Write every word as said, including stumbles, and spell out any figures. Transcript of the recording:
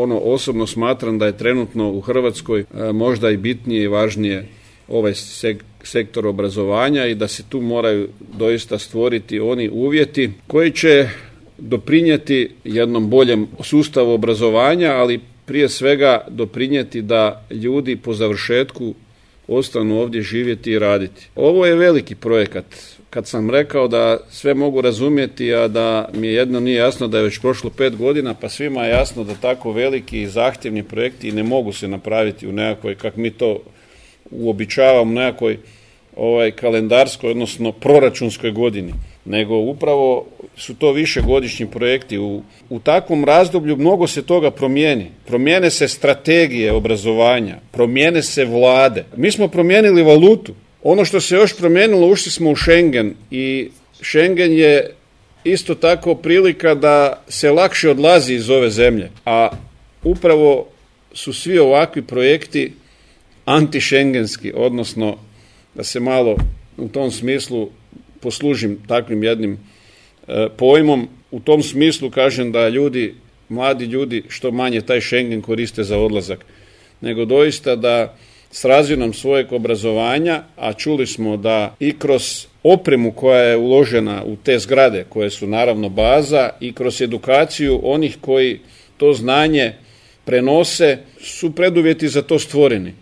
ono osobno smatram da je trenutno u Hrvatskoj možda i bitnije i važnije ovaj sektor obrazovanja i da se tu moraju doista stvoriti oni uvjeti koji će doprinijeti jednom boljem sustavu obrazovanja, ali prije svega doprinijeti da ljudi po završetku ostanu ovdje živjeti i raditi. Ovo je veliki projekat. Kad sam rekao da sve mogu razumjeti, a da mi jedno nije jasno da je već prošlo pet godina, pa svima je jasno da tako veliki i zahtjevni projekti ne mogu se napraviti u nekakvoj, kako mi to uobičavamo, nekakvoj ovaj, kalendarskoj, odnosno proračunskoj godini, nego upravo su to višegodišnji projekti. U, u takvom razdoblju mnogo se toga promijeni. Promijene se strategije obrazovanja, promijene se vlade. Mi smo promijenili valutu. Ono što se još promijenilo, ušli smo u Schengen i Schengen je isto tako prilika da se lakše odlazi iz ove zemlje. A upravo su svi ovakvi projekti antišengenski, odnosno da se malo u tom smislu poslužim takvim jednim e, pojmom. U tom smislu kažem da ljudi, mladi ljudi što manje taj Schengen koriste za odlazak, nego doista da s razinom svojeg obrazovanja, a čuli smo da i kroz opremu koja je uložena u te zgrade, koje su naravno baza, i kroz edukaciju onih koji to znanje prenose, su preduvjeti za to stvoreni.